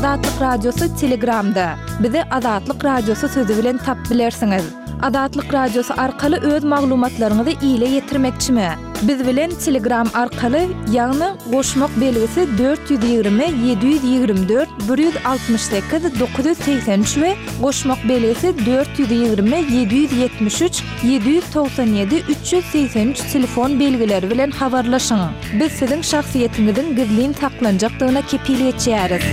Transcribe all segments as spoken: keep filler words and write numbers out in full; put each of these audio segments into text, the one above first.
Azatlyk Radiosy Telegramda. Bizi Azatlyk Radiosy sözi bilen tapyp bilersiňiz. Azatlyk Radiosy arkaly öz maglumatlaryňyzy ile ýetirmekçimi? Biz bilen Telegram arkaly, ýagny goşmak belgisi dört ýüz ýigrimi ýedi ýüz ýigrimi dört bir ýüz altmyş sekiz dokuz ýüz segsen üç we goşmak belgisi dört ýüz ýigrimi ýedi ýüz ýetmiş üç ýedi ýüz togsan ýedi üç ýüz segsen üç telefon belgileri bilen habarlaşyň. Biz siziň şahsyýetiňiziň gizlin saklanjakdygyna kepil geçýäris.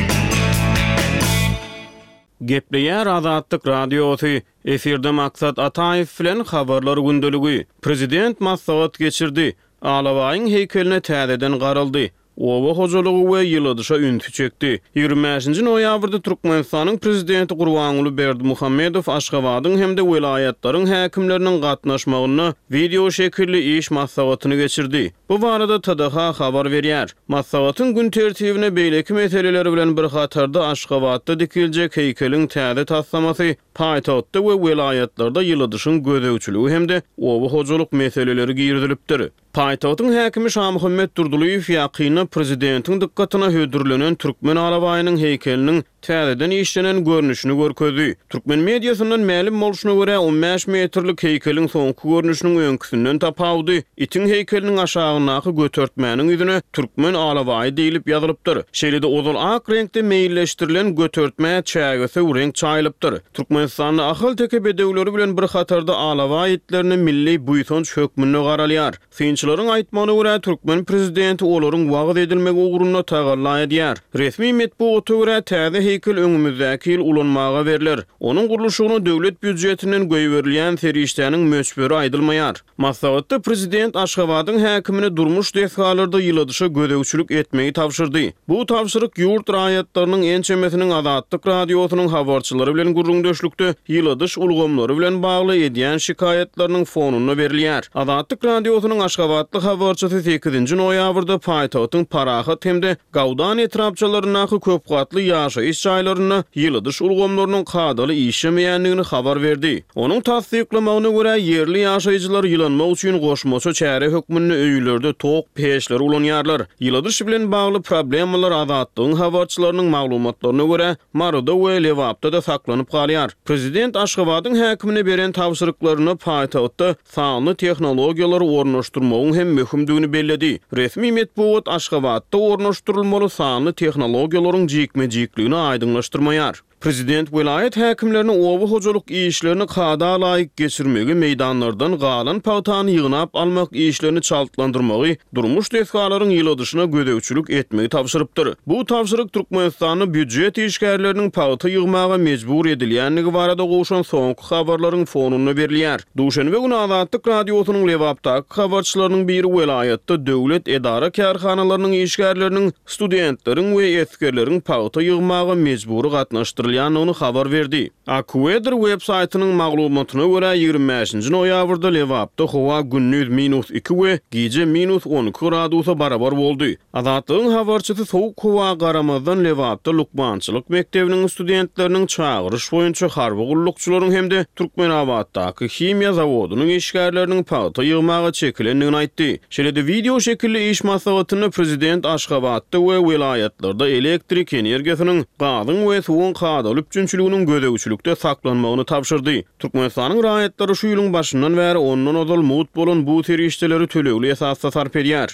Gepleýär Azatlyk Radiosy, efirde Maksat Ataýew bilen Habarlar gündeligi. Prezident maslahat geçirdi. Alabaýyň heýkeline täzeden garaldy. Oba hojalygy we ýyladyşa ünsi çekdi. Ýigrimi bäşinji noýabrda Türkmenistanyň Prezidenti Gurbanguly Berdimuhamedow Aşgabadyň hem-de welaýatlaryň häkimleriniň gatnaşmagynda wideo şekilli iş maslahatyny geçirdi. Bu barada T D H habar berýär. Maslahatyň gün tertibine beýleki meseleler bilen bir hatarda Aşgabatda dikiljek heýkeliň täze taslamasy, paýtagtda we welaýatlarda ýyladyşyň gözegçiligi hem-de oba hojalyk meseleleri girizilipdir. Paýtagtyň häkimi Şamuhammet Durdylyýew ýakynda prezidentiň dykgatyna hödürlenen türkmen alabaýynyň heýkeliniň täzeden işlenen görnüşini görkezdi. Türkmen mediasyndan mälim bolşuna görä, on bäş metrlik heýkeliň soňky görnüşiniň öňküsinden tapawudy itiň heýkeliniň aşagyndaky götertmäniň ýüzüne türkmen alabaýy diýlip ýazylypdyr. Şeýle-de ozal ak reňkde meýilleşdirilen götertmä çägesöw reňk çaýylypdyr. Türkmenistanda Ahalteke bedewleri bilen bir hatarda alabaý itlerine milli buýsanç hökmünde garalýar. Synçylaryň aýtmagyna görä, türkmen prezidenti olaryň wagyz edilmegi ugrunda tagalla edýär. Resmi metbugata görä, täze heýkel öňümizdäki ýyl ulanmaga berler. Onuň gurluşygyna döwlet býujetinden goýberilýän serişdäniň möçberi aýdylmaýar. Maslahatda prezident Aşgabadyň häkimine durmuş desgalarda ýyladyşa gözegçilik etmegi tabşyrdy. Bu tabşyryk ýurt raýatlarynyň ençemesiniň Azatlyk Radiosynyň habarçylary bilen gürrüňdeşlikde ýyladyş ulgamlary bilen bagly edýän şikaýatlarynyň fonunda berilýär. Azatlyk Radiosynyň Aşgabatly habarçysy sekizinji noýabrda paýtagtyň Parahat hem-de Gawdan etrapçalaryndaky köpgatly ýaşaýyş jaýlarynda ýyladyş ulgamlarynyň kadaly işlemeýändigini habar berdi. Onuň tassyklamagyna görä, ýerli ýaşaýjylar ýylanmak üçin goşmaça çäre hökmünde öýlerde tok peçleri ulanýarlar. Ýyladyş bilen bagly problemalar Azatlygyň habarçylarynyň maglumatlaryna görä, Maryda we Lebapda-da saklanyp galýar. Prezident Aşgabadyň häkimine beren tabşyryklaryna paýtagtda sanly tehnologiýalary ornaşdyrmagyň hem möhümdigini belledi. Resmi metbugat Aşgabatda ornaşdyrylmaly sanly tehnologiýalaryň jikme-jikligini aýdyňlaşdyrmaýar. Prezident welaýat häkimlerini oba hojalyk işlerini kada laýyk geçirmegi, meýdanlardan galan pagtany ýygnap almak işlerini çaltlandyrmagy, durmuş desgalaryň ýyladyşyna gözegçilik etmegi tabşyrypdyr. Bu tabşyryk Türkmenistanda býujet işgärleriniň pagta ýygmaga mejbur edilýändigi barada gowşan soňky habarlaryň fonunda berilýär. Duşenbe güni Azatlyk Radiosynyň Lebapdaky habarçylarynyň biri welaýatda döwlet edara kärhanalarynyň işgärleriniň, studentleriň we esgerleriň pagta ýygmaga mejbury gatnaşdyrylýandygyny habar berdi. AccuWeather web saýtynyň maglumatyna görä, ýigrimi bäşinji noýabrda Lebapda howa gündiz minus iki we gije minus on iki gradusa barabar boldy. Azatlygyň habarçysy sowuk howa garamazdan Lebapda lukmançylyk mekdebiniň studentleriniň çagyryş boýunça harby gullukçylaryň hem-de Türkmenabatdaky himiýa zawodynyň işgärleriniň pagta ýygmaga çekilendigini aýtdy. Şeýle-de wideo şekilli iş maslahatynda prezident Aşgabatda we welaýatlarda elektrik energiýasynyň, gazyň we suwuň kadaly üpjünçiliginiň gözegçilikde saklanmagyny tabşyrdy. Türkmenistanyň raýatlary şu ýylyň başyndan bäri ondan ozal mugt bolan bu serişdeleri tölegli esasda sarp edýär.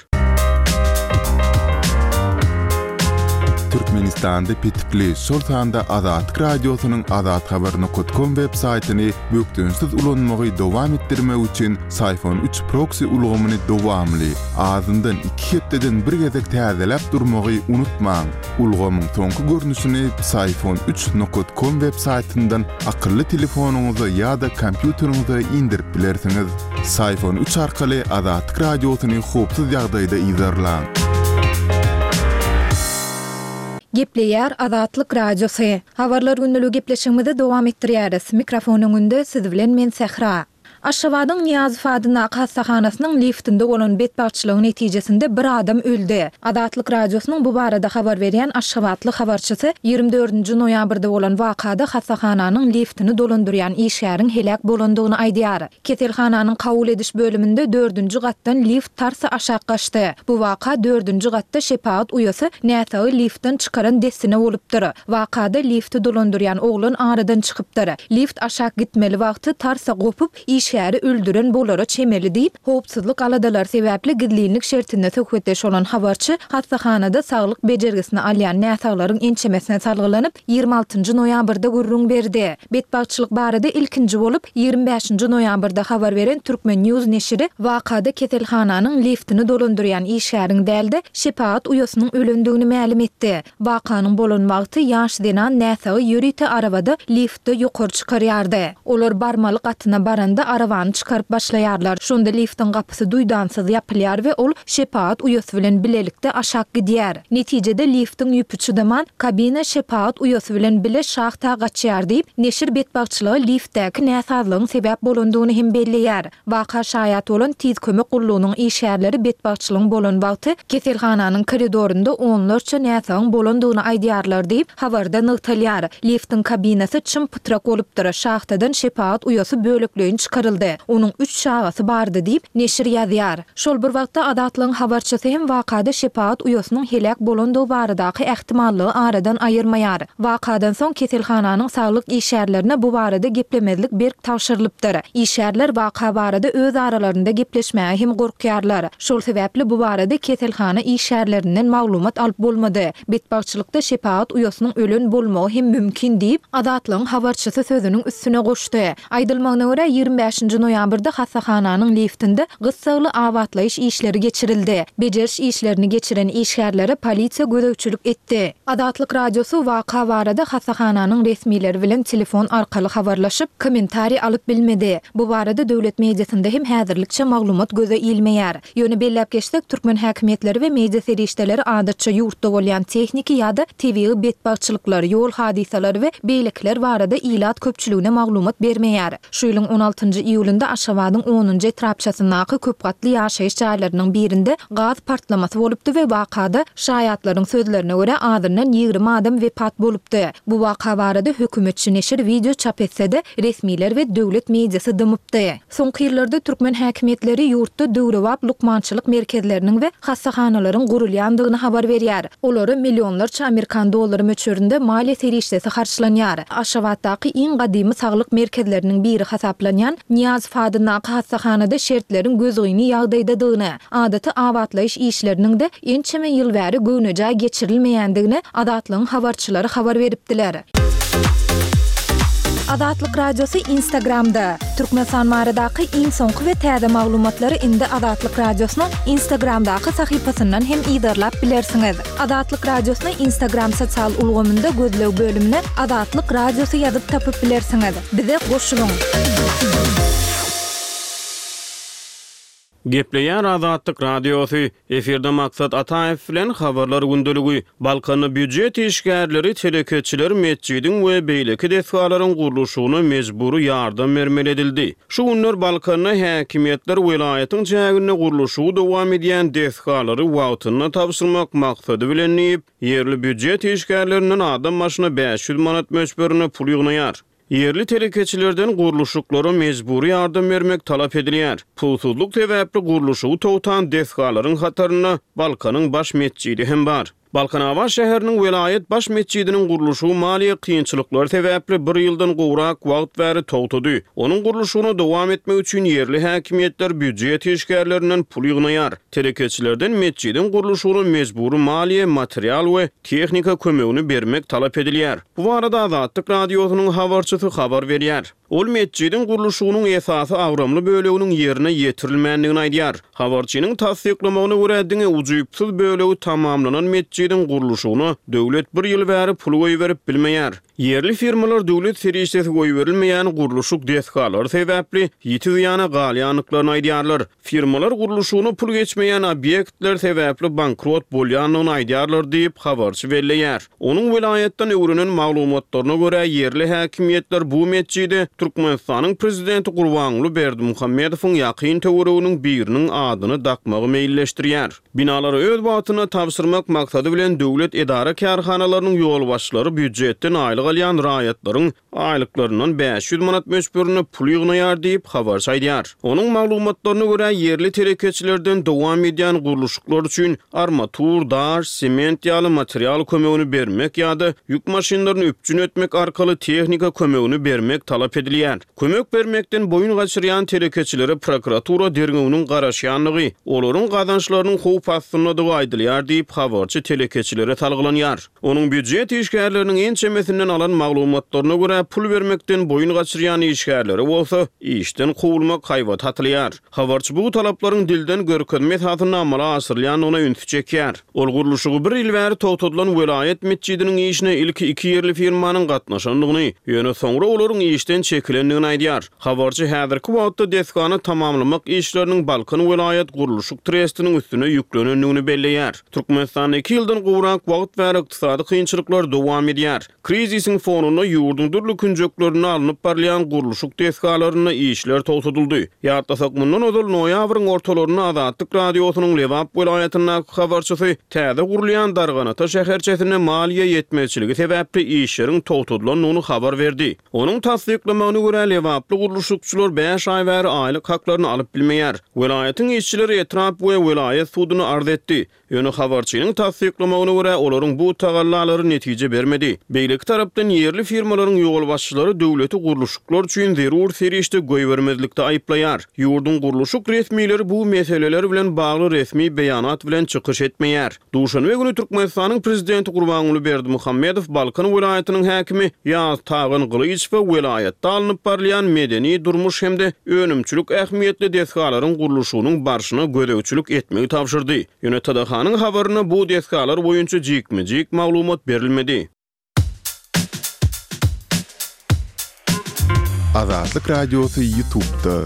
Türkmenistanda petikli, şol sanda Azatlyk Radiosynyň azathabar nokta com web saýtyny bökdençsiz ulanmagy dowam etdirmek üçin Syfon üç proksi ulgamyny dowamly, azyndan iki hepdeden bir gezek täzeläp durmagy unutmaň. Ulgamyň soňky görnüşini Syfon üç nokta com web saýtyndan akylly telefonyňyza ýa-da kompýuteriňize indirip bilersiňiz. Syfon üç arkaly Azatlyk Radiosyny howpsuz ýagdaýda yzarlaň. Gepleýär Azatlyk Radiosy. Habarlar günlügi gepleşigimizi dowam etdirýäris. Mikrofon öňünde siz bilen men Sähra. Aşgabadyň Nyýazow adyndaky hassahanasynyň liftinde bolan betbagtçylygyň netijesinde bir adam öldi. Azatlyk Radiosynyň bu barada habar berýän aşgabatly habarçysy ýigrimi dördünji noýabrda bolan wakada hassahananyň liftini dolandyrýan işgäriň heläk bolandygyny aýdýar. Keselhananyň kabul ediş bölüminde dördünji gatdan lift tarsa aşak gaçdy. Bu waka dördünji gatda şepagat uýasy näsagy liftden çykaran dessine bolupdyr. Wakada lifti dolandyrýan oglan aradan çykypdyr. Lift aşak gitmeli wagty tarsa gopup, işgäri öldüren bolara çemeli diýip, howpsuzlyk aladalary sebäpli gizlinlik şertinde söhbetdeş bolan habarçy hassahanada saglyk bejergisini alýan näsaglaryň ençemesine salgylanyp, ýigrimi altynjy noýabrda gürrüň berdi. Betbagtçylyk barada ilkinji bolup, ýigrimi bäşinji noýabrda habar beren Turkmen News neşiri wakada keselhananyň liftini dolandyrýan işgäriň däl-de, şepagat uýasynyň ölendigini mälim etdi. Wakanyň bolan wagty ýaş zenan näsagy ýörite arabada liftde ýokary çykarýardy. Olar barmaly gatyna baranda arabany çykaryp başlaýarlar. Şonda liftiň gapysy duýdansyz ýapylýar we ol şepagat uýasy bilen bilelikde aşak gidýär. Netijede liftiň ýüpi çydaman, kabina şepagat uýasy bilen bile şahta gaçýar diýip, neşir betbagtçylyga liftdäki näsazlygyň sebäp bolandygyny hem belleýär. Waka şaýat bolan tiz kömek gullugynyň işgärleri betbagtçylygyň bolan wagty keselhananyň koridorynda onlarça näsagyň bolandygyny aýdýarlar diýip, habarda nygtalýar. Liftiň kabinasy çym pytrak bolupdyr, şahtadan şepagat uýasy bölekleýin çykaryldy. Onuň üç çagasy bardy diýip, neşir ýazýar. Şol bir wagtda Azatlygyň habarçysy hem wakada şepagat uýasynyň heläk bolandygy baradaky ähtimallygy aradan aýyrmaýar. Wakadan soň keselhananyň saglyk işgärlerine bu barada geplemezlik berk tabşyrylypdyr. Işgärler waka barada öz aralarynda gepleşmäge hem gorkýarlar. Şol sebäpli bu barada keselhana işgärlerinden maglumat alyp bolmady. Betbagtçylykda şepagat uýasynyň ölen bolmagy hem mümkin diýip, Azatlygyň habarçysy sözüniň üstüne goşdy. Aýdylmagyna görä, ýigrimi bäşinji noýabrda hassahananyň liftinde gyssagly abatlaýyş işleri geçirildi. Bejeriş işlerini geçiren işgärlere polisiýa gözegçilik etdi. Azatlyk Radiosy waka barada hassahananyň resmileri bilen telefon arkaly habarlaşyp, kommentariý alyp bilmedi. Bu barada döwlet mediasynda hem häzirlikçe maglumat göze ilmeýär. Ýöne belläp geçsek, türkmen häkimiýetleri we media serişdeleri adatça ýurtda bolýan tehniki ýa-da tebigy betbagtçylyklar, ýol hadysalary we beýlekiler barada ilat köpçüligine maglumat bermeýär. Şu ýylyň on altynjy iýulynda Aşgabadyň onunjy etrapçasyndaky köpgatly ýaşaýyş jaýlarynyň birinde gaz partlamasy bolupdy we wakada şaýatlaryň sözlerine görä azyndan ýigrimi adam wepat bolupdy. Bu waka barada hökümetçi neşir wideo çap etse-de, resmiler we döwlet mediasy dymypdy. Soňky ýyllarda türkmen häkimiýetleri ýurtda döwrebap lukmançylyk merkezleriniň we hassahanalaryň gurulýandygyny habar berýär. Olara millionlarça amerikan dollary möçberinde maliýe serişdesi harçlanýar. Aşgabatdaky iň gadymy saglyk merkezleriniň biri hasaplanýan Nyýazow adyndaky hassahanada şertleriň gözgyny ýagdaýdadygyny, adaty abatlaýyş işleriniň-de ençeme ýyl bäri göwnejaý geçirilmeýändigini Azatlygyň habarçylary habar beripdiler. Azatlyk Radiosy Instagramda. Türkmenistan baradaky iň soňky we täze maglumatlary indi Azatlyk Radiosynyň Instagramdaky sahypasyndan hem yzarlap bilersiňiz. Azatlyk Radiosyny Instagram sosial ulgamynda gözleg bölümine Azatlyk Radiosy ýazyp tapyp bilersiňiz. Bize goşulyň! Gepleýär Azatlyk Radiosy, efirde Maksat Ataýew bilen Habarlar gündeligi. Balkanda býujet işgärleri, telekeçiler metjidiň we beýleki desgalaryň gurluşygyna mejbury ýardam bermeli edildi. Şu günler Balkanda häkimiýetler welaýatyň çäginde gurluşygy dowam edýän desgalary wagtynda tabşyrmak maksady bilen diýip, ýerli býujet işgärlerinden adam başyna bäş ýüz manat möçberinde pul ýygnaýar. Ýerli telekeçilerden gurluşyklara mejbury ýardam bermek talap edilýär. Pulsuzlyk sebäpli gurluşygy togtan desgalaryň hatarynda Balkanyň baş metjidi hem bar. Balkanabat şäheriniň welaýat baş metjidiniň gurluşygy maliýe kynçylyklary sebäpli bir ýyldan gowrak wagt bäri togtady. Onuň gurluşygyna dowam etmek üçin ýerli häkimiýetler býujet işgärlerinden pul ýygnaýar. Telekeçilerden metjidiň gurluşygyna mejbury maliýe, material we tehnika kömegini bermek talap edilýär. Bu barada Azatlyk Radiosynyň habarçysy habar berýär. Ol metjidiň gurluşygynyň esasy agramly böleginiň ýerine ýetirilmändigini aýdýar. Habarçynyň tassyklamagyna görä, diňe ujypsyz bölegi tamamlanan metjidiň gurluşygyna döwlet bir ýyl bäri pul goýberip bilmeýär. Ýerli firmalar döwlet serişdesi goýberilmeýän gurluşyk desgalary sebäpli ýiti zyýana galýandyklaryny aýdýarlar. Firmalar gurluşygyna pul geçmeýän obýektler sebäpli bankrot bolýandygyny aýdýarlar diýip, habarçy belleýär. Onuň welaýatdan öwrenen maglumatlaryna görä, ýerli häkimiýetler bu metjide Türkmenistanyň prezidenti Gurbanguly Berdimuhamedowyň ýakyn töwereginiň biriniň adyny dakmagy meýilleşdirýär. Binalary öz wagtynda tabşyrmak maksady bilen döwlet edara-kärhanalarynyň ýolbaşçylary býujetden aýlyk alýan raýatlaryň aýlyklaryndan bäş ýüz manat möçberinde pul ýygnaýar diýip, habarçy aýdýar. Onuň maglumatlaryna görä, ýerli telekeçilerden dowam edýän gurluşyklar üçin armatur, daş, sement ýaly material kömegini bermek ýa-da ýük maşynlaryny üpjün etmek arkaly tehnika kömegini bermek talap edilýär. Kömek bermekden boýun gaçyrýan telekeçilere prokuratura derňewiniň garaşýandygy, olaryň gazançlarynyň howp astyndadygy aýdylýar diýip, habarçy telekeçilere salgylanýar. Onuň býujet işgärleriniň ençemesinden alan maglumatlaryna görä, pul bermekden boýun gaçyrýan işgärlere bolsa işden kowulmak haýbaty atylýar. Habarçy bu talaplaryň dilden görkezme esasynda amala aşyrylýandygyna ünsi çekýär. Ol gurluşygy bir ýyl bäri togtadylan welaýat metjidiniň işine ilki iki ýerli firmanyň gatnaşandygyny, ýöne soňra olaryň işden çekilendigini aýdýar. Habarçy häzirki wagtda desgany tamamlamak işleriniň Balkan welaýat gurluşyk trestiniň üstüne ýüklenendigini belleýär. Türkmenistanda iki ýyldan gowrak wagt bäri ykdysady kynçylyklar dowam edýär. Krizisiň fonunda ýurduň dürli künjeklerinde alnyp barylýan gurluşyk desgalarynda işler togtadyldy. Ýatlasak, mundan ozal noýabryň ortalarynda Azatlyk Radiosynyň Lebap welaýatyndaky habarçysy täze gurulýan Darganata şäherçesinde maliýe ýetmezçiligi sebäpli işleriň togtadylandygyny habar berdi. Onuň tassyklamagyna görä, lebaply gurluşykçylar bäş aý bäri aýlyk haklaryny alyp bilmeýär. Welaýatyň işçileri etrap we welaýat suduna arz etdi. Ýöne habarçynyň tassyklamagyna görä, olaryň bu tagallalary netije bermedi. Beýleki tarapdan, ýerli firmalaryň ýolbaşçylary döwleti gurluşyklar üçin zerur serişde goýbermezlikde aýyplaýar. Ýurduň gurluşyk resmileri bu meseleler bilen bagly resmi beýanat bilen çykyş etmeýär. Duşenbe güni Türkmenistanyň Prezidenti Gurbanguly Berdimuhamedow Balkan welaýatynyň häkimi Ýaztagan Gylyjowa welaýatda alnyp barylýan medeni-durmuş hem-de önümçilik ähmiýetli desgalaryň gurluşygynyň barşyna gözegçilik etmegi tabşyrdy. Ýöne T D H-nyň habarynda bu desgalar boýunça jikme-jik maglumat berilmedi. Azatlyk Radiosy YouTube'da.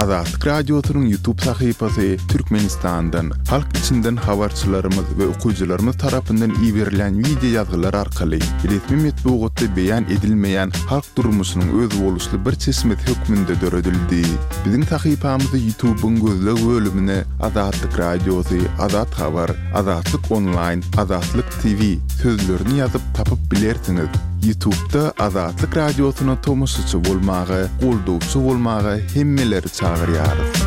Azatlyk Radiosynyň YouTube sahypasy Türkmenistandan, halk içinden habarçylarymyz we okyjylarymyz tarapyndan iberilen wideo ýazgylar arkaly resmi metbugatda beýan edilmeýän halk durmuşynyň özboluşly bir çeşmesi hökmünde döredildi. Biziň sahypamyzy YouTube'yň gözleg bölümine Azatlyk Radiosy, Azat Habar, Azatlyk Online, Azatlyk T V sözlerini ýazyp tapyp bilersiňiz. YouTube'da Azatlyk Radiosyna tomaşaçy bolmaga, goldawçy bolmaga hemmeleri çagyrýarys.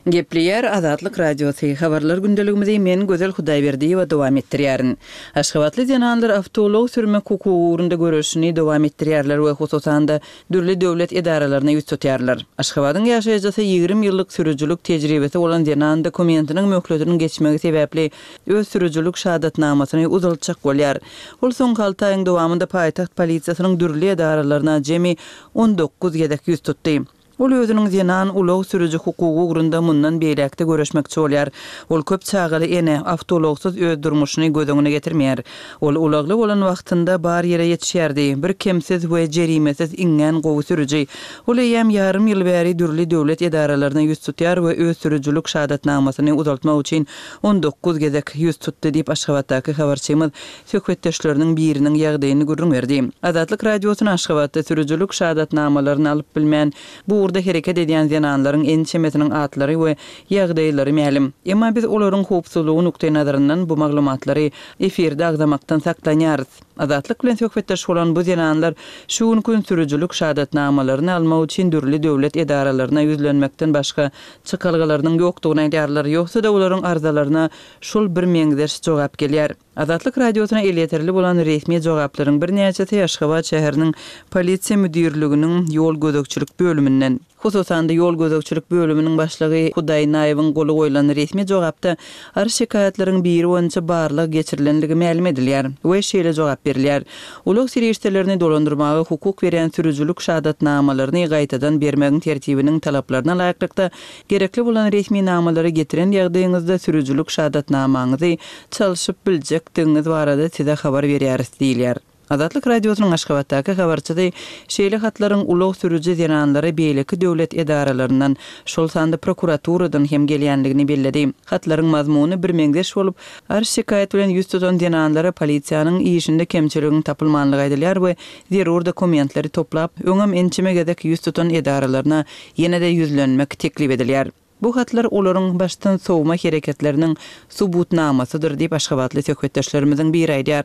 Gepleýär Azatlyk Radiosy. Habarlar gündeligimizi men Gözel Hudaýberdiýewa dowam etdirýärin. Aşgabatly zenanlar awtoulag sürmek hukugy ugrunda göreşini dowam etdirýärler we hususan-da dürli döwlet edaralaryna ýüz tutýarlar. Aşgabadyň ýaşaýjysy ýigrimi ýyllyk sürüjilik tejribesi bolan zenan dokumentiniň möhletiniň geçmegi sebäpli öz sürüjilik şahadatnamasyny uzaltjak bolýar. Ol soňky alty aýyň dowamynda paýtagt polisiýasynyň dürli edaralaryna jemi on dokuz gezek ýüz tutdy. Ol özüniň zenan ulag sürüji hukugy ugrunda mundan beýläkde görüşmekçi bolýar. Ol köp çagaly ene awtoulagsyz öz durmuşyny göz öňüne getirmeýär. Ol ulagly bolan wagtynda bar ýere ýetişýärdi. Bir kemsiz we jerimesiz iňňän gowy sürüji. Ol eýýäm ýarym ýyl bäri dürli döwlet edaralaryna ýüz tutýar we öz sürüjilik şahadatnamasyny uzaltmak üçin on dokuz gezek ýüz tutdy diýip Aşgabatdaky habarçymyz söhbetdeşleriniň biriniň ýagdaýyny gürrüň berdi. Azatlyk Radiosyna Aşgabatda sürüjilik şahadatnamalaryny alyp bilmän bu ugurda hereket edýän zenanlaryň ençemesiniň atlary we ýagdaýlary mälim. Emma biz olaryň howpsuzlygy nukdaýnazaryndan bu maglumatlary efirde agzamakdan saklanýarys. Azatlyk bilen söhbetdeş bolan bu zenanlar şu gün sürüjilik şahadatnamalaryny almak üçin dürli döwlet edaralaryna ýüzlenmekden başga çykalgalarynyň ýokdugyny aýdýarlar. Ýogsa-da olaryň arzalaryna şol bir meňzeş jogap gelýär. Azatlyk Radiosyna elýeterli bolan resmi jogaplaryň birnäçesi Aşgabat şäheriniň polisiýa müdirliginiň ýol gözegçilik bölüminden. Hususan-da ýol gözegçilik bölüminiň başlygy Hudaýnaýewiň goly goýlan resmi jogapda arz şikaýatlaryň biri boýunça barlag geçirilenligi mälim edilýär we şeýle jogap berilýär. Ulag serişdelerini dolandyrmaga hukuk berýän sürüjilik şahadatnamalaryny gaýtadan bermegiň tertibiniň talaplaryna laýyklykda gerekli bolan resmi namalary getiren ýagdaýyňyzda sürüjilik şahadatnamaňyzy çalşyp biljekdigiňiz barada size habar berýäris diýilýär. Azatlyk Radiosynyň Aşgabatdaky habarçysy şeýle hatlaryň ulag sürüji zenanlara beýleki döwlet edaralaryndan, şol sanda prokuraturadan hem gelýändigini belledi. Hatlaryň mazmuny birmeňzeş bolup, arz-şikaýat bilen ýüz tutan zenanlara polisiýanyň işinde kemçiligiň tapylmanlygy aýdylýar we zerur dokumentleri toplap, öňem ençeme gezek ýüz tutan edaralaryna ýene-de ýüzlenmek teklip edilýär. Bu hatlar olaryň başdan sowma hereketleriniň subutnamasydyr diýip, aşgabatly söhbetdeşlerimiziň biri aýdýar.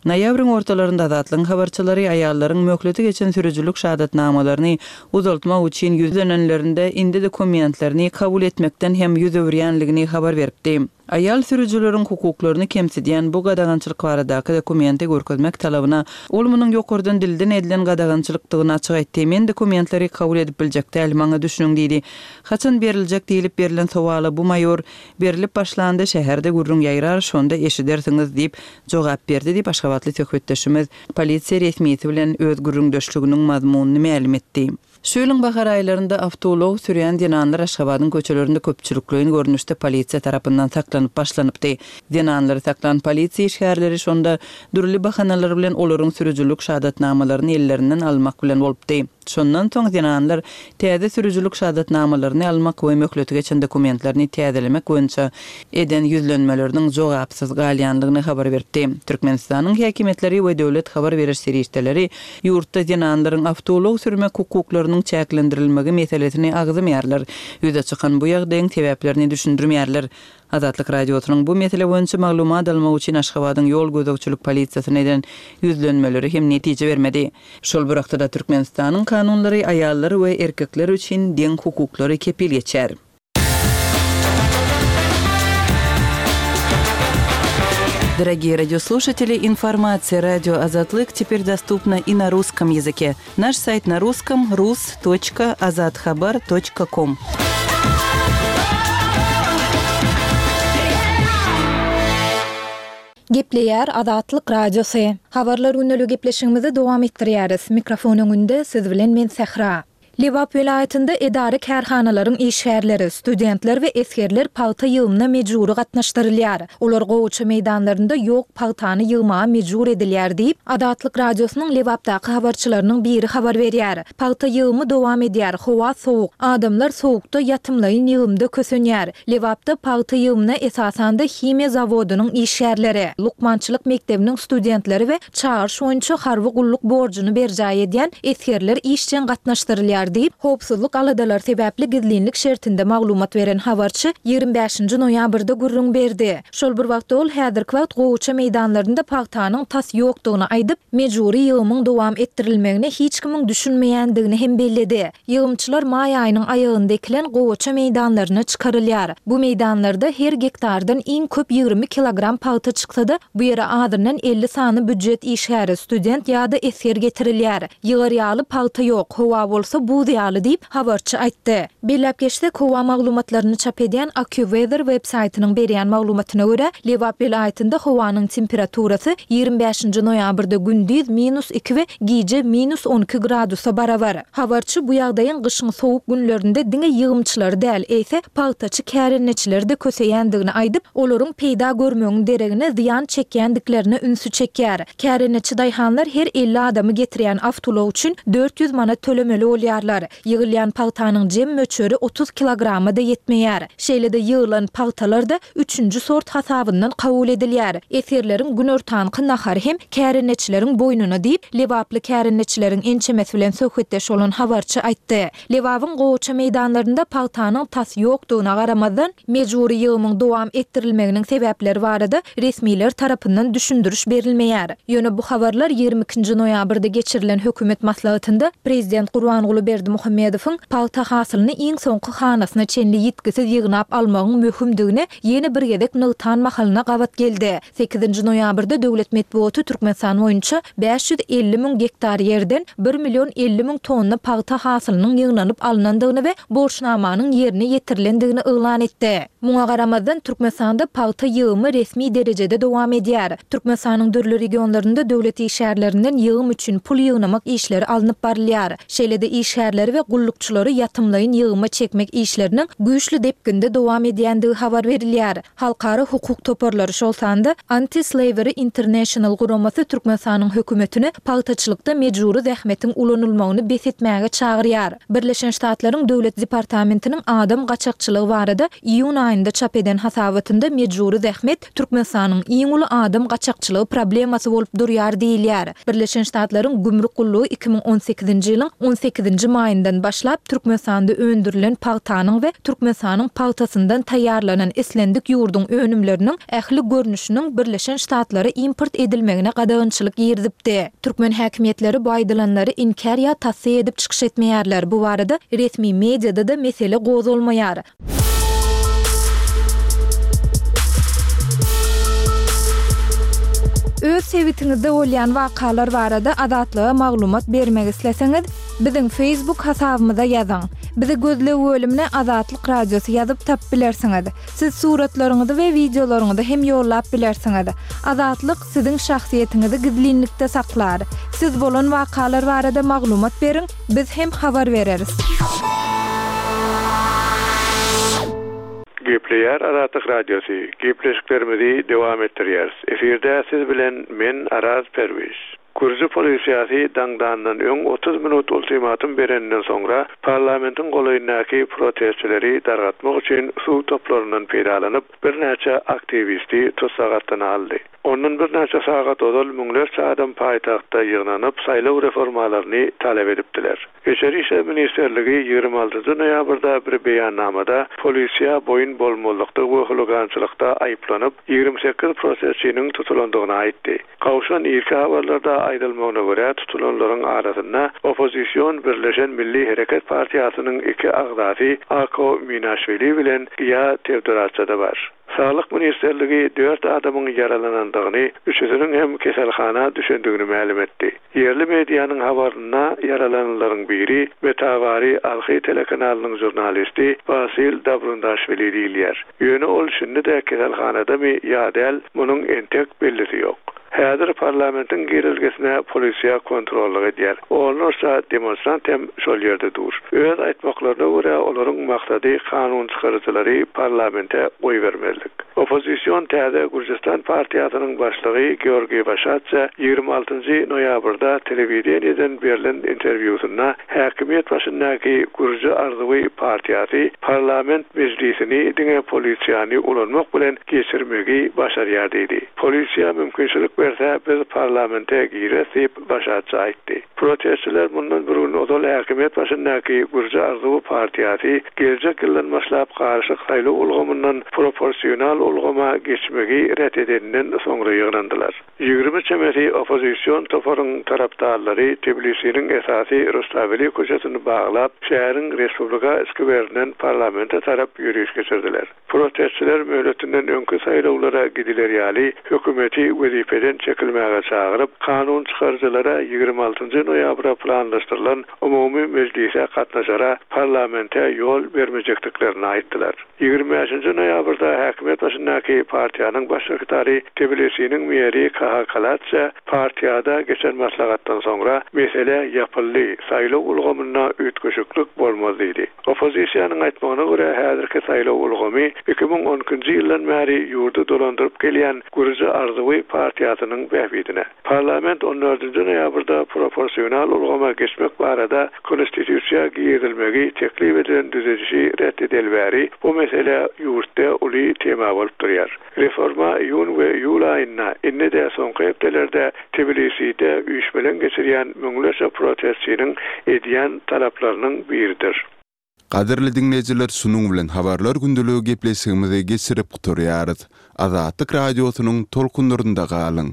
Noýabryň ortalarynda Azatlygyň habarçylary aýallaryň möhleti geçen sürüjilik şahadatnamalaryny uzaltmak üçin ýüzlenenlerinde indi dokumentlerini kabul etmekden hem ýüz öwürýänligini habar beripdi. Aýal sürüjileriň hukuklaryny kemsidýän bu gadagançylyk baradaky dokumenti görkezmek talabyna ol munuň ýokardan dilden edilen gadagançylykdygyny açyk aýtdy. Men dokumentleri kabul edip biljek däl, maňa düşüniň diýdi. Haçan beriljek diýlip berlen sowala bu maýor, Berlip başlanda şäherde gürrüň ýaýrar, şonda eşidersiňiz diýip jogap berdi diýip, aşgabatly söhbetdeşimiz polisiýa resmisi bilen öz gürrüňdeşliginiň mazmunyny mälim etdi. Şu ýylyň bahar aýlarynda awtoulag sürýän zenanlar Aşgabadyň köçelerinde köpçülikleýin görnüşde polisiýa tarapyndan saklanyp başlanypdy. Zenanlary saklan polisiýa işgärleri şonda dürli bahanalar bilen olaryň sürüjilik şahadatnamalaryny ellerinden almak bilen bolupdy. Şondan soň zenanlar täze sürüjilik şahadatnamalaryny almak we möhleti geçen dokumentlerini täzelemek boýunça eden ýüzlenmeleriniň jogapsyz galýandygyny habar beripdi. Türkmenistanyň häkimiýetleri we döwlet habar beriş serişdeleri ýurtda zenanlaryň awtoulag sürmek hukuklarynyň çäklendirilmegi meselesini agzamaýarlar, ýüze çykan bu ýagdaýyň sebäplerini düşündirmeýärler. Azatlyk Radiosynyň bu mesele boýunça maglumat almak üçin Aşgabadyň ýol gözegçilik polisiýasyna eden ýüzlenmeleri hem netije bermedi. Şol bir wagtda-da Türkmenistanyň kanunlary aýallar we erkekler üçin deň hukuklary kepil geçýär. Дорогие радиослушатели, информация радио Азатлык теперь доступна и на русском языке. Наш сайт на русском rus.azathabar.com. Gepleýär Azatlyk Radiosy. Habarlar gündeligi gepleşigimizi dowam etdirýäris. Mikrofon öňünde siz bilen men Sähra. Lebap welaýatynda edara-kärhanalaryň işgärleri, studentler we esgerler pagta ýygymyna mejbury gatnaşdyrylýar. Olar gowaça meýdanlarynda ýok pagtany ýygmaga mejbur edilýär diýip, Azatlyk Radiosynyň Lebapdaky habarçylarynyň biri habar berýär. Pagta ýygymy dowam edýär, howa sowuk, adamlar sowukda ýatymlaýyn ýygymda kösenýär. Lebapda pagta ýygymyna esasan-da himiýa zawodynyň işgärleri, lukmançylyk mekdebiniň studentleri we çagyryş boýunça harby gulluk borjuny berjaý edýän esgerler işjeň gatnaşdyrylýar diýip, howpsuzlyk aladalary sebäpli gizlinlik şertinde maglumat beren habarçy ýigrimi bäşinji noýabrda gürrüň berdi. Şol bir wagtda ol häzirki wagt gowaça meýdanlarynda pagtanyň tas ýokdugyny aýdyp, mejbury ýygymyň dowam etdirilmegine hiç kimiň düşünmeýändigini hem belledi. Ýygymçylar maý aýynyň aýagynda ekilen gowaça meýdanlaryna çykarylýar. Bu meýdanlarda her gektardan iň köp ýigrimi kilogram pagta çyksa-da, bu ýere azyndan elli sany býujet işgäri, student ýa-da esger getirilýär. Ýygar ýaly pagta ýok, howa bolsa buz ýaly diýip, habarçy aýtdy. Belläp geçsek, howa maglumatlaryny çap edýän AccuWeather web-saýtynyň berýän maglumatyna görä, Lebap welaýatynda howanyň temperaturasy ýigrimi bäşinji noýabrda gündiz minus iki we gije minus on iki gradusa barabar. Habarçy bu ýagdaýyň gyşyň sowuk günlerinde diňe ýygymçylary däl, eýse, pagtaçy kärendeçileri-de köseýändigini aýdyp, olaryň peýda görmegiň deregine zyýan çekýändiklerine ünsi çekýär. Kärendeçi daýhanlar her elli adamy getirýän awtoulag üçin dört ýüz manat tölemeli bolýarlar. Ýygylýan pagtanyň jem möçberi otuz kilograma-da ýetmeýär. Şeýle-de ýygylan pagtalar-da üçünji sort hasabyndan kabul edilýär. Esgerleriň günortanky nahary hem kärendeçileriň boýnuna diýip, lebaply kärendeçileriň ençemesi bilen söhbetdeş bolan habarçy aýtdy. Lebabyň gowaça meýdanlarynda pagtanyň tas ýokdugyna garamazdan, mejbury ýygymyň dowam etdirilmeginiň sebäpleri barada resmiler tarapyndan düşündiriş berilmeýär. Ýöne bu habarlar ýigrimi ikinji noýabrda geçirilen hökümet maslahatynda prezident Gurbanguly Berdimuhamedowyň pagta hasylyny iň soňky hanasyna çenli ýitgisiz ýygnap almagyň möhümdigini ýene bir gezek nygtan mahalyna gabat geldi. Sekizinji noýabrda döwlet metbugaty Türkmenistan boýunça bäş ýüz elli müň gektar ýerden bir million elli müň tonna pagta hasylynyň ýygnanyp alnandygyny we borçnamanyň ýerine ýetirilendigini yglan etdi. Muňa garamazdan, Türkmenistanda pagta ýygymy resmi derejede dowam edýär. Türkmenistanyň dürli regionlarynda döwlet işgärlerinden ýygym üçin pul ýygnamak işleri alnyp barylýar. Şeýle-de işgärleriň işgärleri we gullukçylary ýatymlaýyn ýygyma çekmek işleriniň güýçli depginde dowam edýändigi habar berilýär. Halkara hukuk toparlary, şol sanda Anti-Slavery International guramasy Türkmenistanyň hökümetini pagtaçylykda mejbury zähmetiň ulanylmagyny bes etmäge çagyrýar. Birleşen Ştatlaryň Döwlet departamentiniň adam gaçakçylygy barada iýun aýynda çap eden hasabatynda mejbury zähmet Türkmenistanyň iň uly adam gaçakçylygy problemasy bolup durýar diýilýär. Birleşen Ştatlaryň Gümrük gullugy iki müň on sekizinji ýylyň on sekizinji maýyndan başlap Türkmenistanda öndürilen pagtanyň we Türkmenistanyň pagtasyndan taýýarlanan islendik ýurduň önümleriniň ähli görnüşiniň Birleşen Ştatlara import edilmegine gadagançylyk girizipdi. Türkmen häkimiýetleri bu aýdylanlary inkär ýa tassyk edip çykyş etmeýärler. Bu barada resmi mediada-da mesele gozgalmaýar. Öz sebitiňizde bolýan wakalar barada Azatlyga maglumat bermek isleseňiz, biziň Facebook hasabymyza ýazyň. Bizi gözleg bölümine Azatlyk Radiosy ýazyp tapyp bilersiňiz. Siz suratlaryňyzy we wideolaryňyzy hem ýollap bilersiňiz. Azatlyk siziň şahsyýetiňizi gizlinlikde saklar. Siz bolan wakalar barada maglumat beriň, biz hem habar bereris. Gepleýär Azatlyk Radiosy. Gepleşiklerimizi dowam etdirýäris. Efirde siz bilen men Araz Perwiş. Gürji polisiýasy daňdandan öň otuz minut ultimatum bereninden soňra parlamentiň golaýyndaky protestçileri dargatmak üçin suw toplaryndan peýdalanyp, birnäçe aktiwisti tussag astyna aldy. Ondan birnäçe sagat ozal müňlerçe adam paýtagtda ýygnanyp, saýlaw reformalaryny talap edipdiler. Içeri işler ministrligi ýigrimi altynjy noýabrda bir beýannamada polisiýa boýun bolmazlykda we huligançylykda aýyplanyp, ýigrimi sekiz protestçiniň tutulandygyny aýtdy. Gawşan irki habarlarda aýdylmagyna görä tutulanlaryň arasynda oppozision Birleşen Milli Hereket Partiýasynyň iki agzasy Ako Minaşwili bilen Giýa Tewdoratça-da bar. Saglyk ministrligi dört adamyň ýaralanandygyny, üçüsiniň hem keselhana düşendigini mälim etdi. Ýerli medianyň habarynda ýaralananlaryň biri Metawari Alhy telekanalynyň žurnalisti Basil Dabrundaşwili diýilýär. Ýöne ol şindi-de keselhanadamy ýa däl, munuň entek bellisi ýok. Häzir parlamentiň girilgesine polisiýa kontrollyk edýär. Onlarça demonstrant hem şol ýerde dur. Öz aýtmaklaryna görä olaryň maksady kanun çykaryjylary parlamente goýbermezlik. Oppozision täze Gürjistan partiýasynyň başlygy Georgiý Waşatça ýigrimi altynjy noýabrda telewideniýeden berlen interwýusynda häkimiýet başyndaky Gürji Arzuwy partiýasy parlament mejlisini diňe polisiýany ulanmak bilen geçirmegi başarýar diýdi. Polisiýa mümkinçilik berse biz parlamente gires diýip Waşatça aýtdy. Protestçiler mundan bir gün ozal häkimiýet başyndaky Gürji Arzuwy partiýasy geljek ýyldan başlap garyşyk saýlaw ulgamyndan proporsional ulgama geçmegi ret edeninden soňra ýygnandylar. Ýigrimi çemesi oppozision toparyň tarapdarlary Tbilisiniň esasy Rustaveli köçesini baglap, şäheriň Respublika skwerinden parlamente tarap ýöriş geçirdiler. Protestçiler möhletinden öňki saýlawlara gidiler ýaly hökümeti wezipeden çekilmäge çagyryp, kanun çykaryjylara ýigrimi altynjy noýabra planlaşdyrylan umumy mejlise gatnaşara parlamente ýol bermejekdiklerini aýtdylar. Ýigrimi bäşinji noýabrda häkimiýet başyndaky partiýanyň baş sekretary Tbilisiniň meri Kaha Kalatça partiýada geçen maslahatdan soňra mesele ýapyldy, saýlaw ulgamynda üýtgeşiklik bolmaz diýdi. Oppozisiýanyň aýtmagyna görä häzirki saýlaw ulgamy iki müň on ikinji ýyldan bäri ýurdy dolandyryp gelýän Gürji Arzuwy partiýasynyň bähbidine. Parlament on dördünji noýabrda proporsional ulgama geçmek barada konstitusiýa girizilmegi teklip edilen düzedişi ret edilbäri bu mesele ýurtda uly tema bolup durýar. Reforma iýun we iýul aýynda indi-de soňky hepdelerde Tbiliside üýşmeleň geçirýän müňlerçe protestçiniň edýän talaplarynyň biridir. Gadyrly diňleýjiler, şunuň bilen habarlar gündeligi gepleşigimizi geçirip gutarýarys. Azatlyk radiosynyň tolkunlarynda galyň.